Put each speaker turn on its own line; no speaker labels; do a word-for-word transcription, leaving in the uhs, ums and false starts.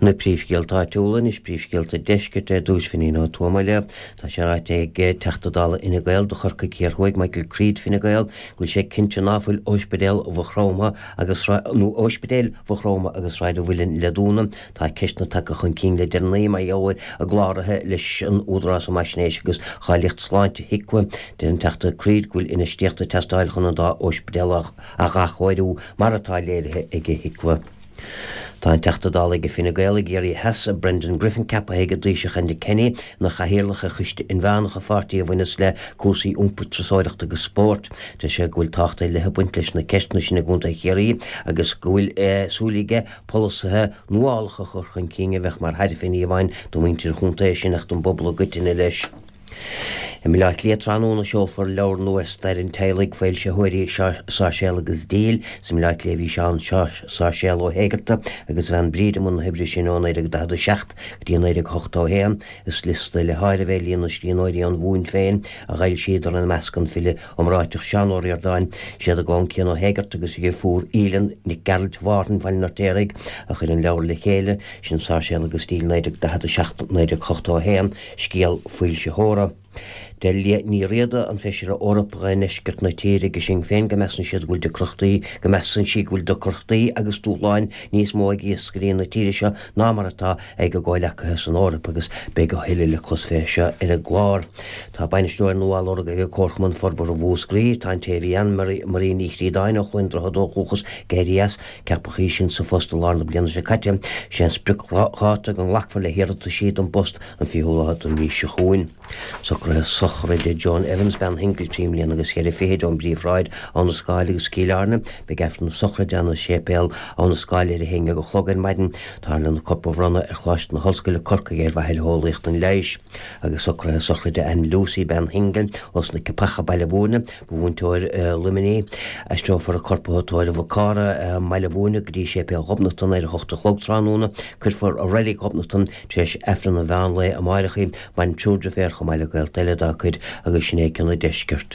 Na príomhscéalta áitiúla anois príomhscéalta deiscirt ar dtús Finín Ó Tuama léamh Tá sé ráite ag Teachta Dála Fhine Gael do Chorcaigh Thiar Thuaidh Michael Creed Fine Gael go bhfuil sé cinnte ná fuil Ospidéal Mhaigh Chromtha agus nó Ospidéil Mhaigh Chromtha agus Sráid an Mhuilinn le dúnadh. Tá ceisteanna tagtha chun cinn le deireanaí mar gheall ar a gcláraithe leis an Údarás um Fhaisnéis agus Cháilíocht Sláinte, HIQA. Deir an Teachta Creed go bhfuil infheistíocht ag teastáil chun an dá ospidéal a athchóiriú mar atá léirithe ag HIQA. Tá an Teachta Dála ag Fine Gael i gCiarraí Theas, Brendan Griffin ceaptha ag an Taoiseach Enda Kenny ina chathaoirleach ar choiste inmheánach an pháirtí a bhaineas le cúrsaí iompair, turasóireachta agus spóirt. Deir sé go bhfuil tábhacht ar leith ag baint leis na ceisteanna sin i gContae Chiarraí agus go bhfuil súil aige polasaithe nuálacha a chur chun cinn a bheadh mar thairbhe ní amháin do mhuintir an chontae sin ach don bpobal i gcoitinne leis. I mBaile Átha Cliath tráthnóna seolfar leabhar nua ar stair an teaghlaigh, foilsitheoirí Sáirséal agus Díl. Is i mBaile Átha Cliath a bhí Seán Sáirséal Ó hÉigeartaigh agus a bhean Bríd i mbun na hoibre sin ó naoi déag daichead a seacht go dtí naoi déag ochtó a haon. Is liosta le háireamh é líon na scríbhneoirí ón Mhumhain féin a d'fhoilsíodar, ina measc an file iomráiteach Seán Ó Ríordáin. Is iad a gclann Cian Ó hÉigeartaigh agus a dheirfiúr Aoileann Nic Gearailt Mhárthain Bhaile an Fheirtéaraigh a chuir an leabhar le chéile, sin Sáirséal agus Díl naoi déag daichead a seacht, naoi déag ochtó a haon, scéal foilsitheora. Deir Liadh Ní Riada, an Feisire Eorpach i ndeisceart na tíre ag Sinn Féin go measann siad go bhfuil deacrachtaí go measann sí go bhfuil deacrachtaí agus dúshláin níos mó ag iascairí na tíre seo ná mar atá ag a gcomhleacaithe san Eoraip agus beidh a thuilleadh le clos fé seo ar an gclár. Tá bainisteoir nua á lorg ag Comharchumann Forbartha Mhúscraí. Tá an té a bhí ann, Marie Ní Chríodáin ó Chluain Droichead ó dhúchas, ag éirí as. Ceapadh í sin sa phost i lár na bliana seo caite. Sé an spriocdháta go nglacfar le hiarrataisí don bpost an fichiú lá den mhí seo chugainn. Socruithe sochraide Joan Evans, bean shingil trí mbliana agus cheithre fichid ón bPríomhshráid, Abha na Scáil agus Cill Airne. Beidh Aifreann na sochraide ann i Séipéal Abha na Scáil ar a haon déag a chlog ar maidin. Táthar lena corp a bhronnadh ar Choláiste na hOllscoile, Corcaigh ar mhaithe le heolaíocht an leighis. Agus socruithe sochraide Anne Lucey, bean shingil, ós na Ceapacha, Baile Bhúirne. Ba mhúinteoir i Luimnigh í. Aistreofar a corp ó Thóraimh Mhic Cára i mBaile Bhúirne go dtí Séipéal Ghobnatan ar a hocht a chlog tráthnóna. Cuirfear i Reilig Ghobnatan tar éis Aifreann an mheán lae amáireach í. Maireann triúr deirféar chomh maith le gaolta eile dá cuid agus sin é cionn an deiscirt.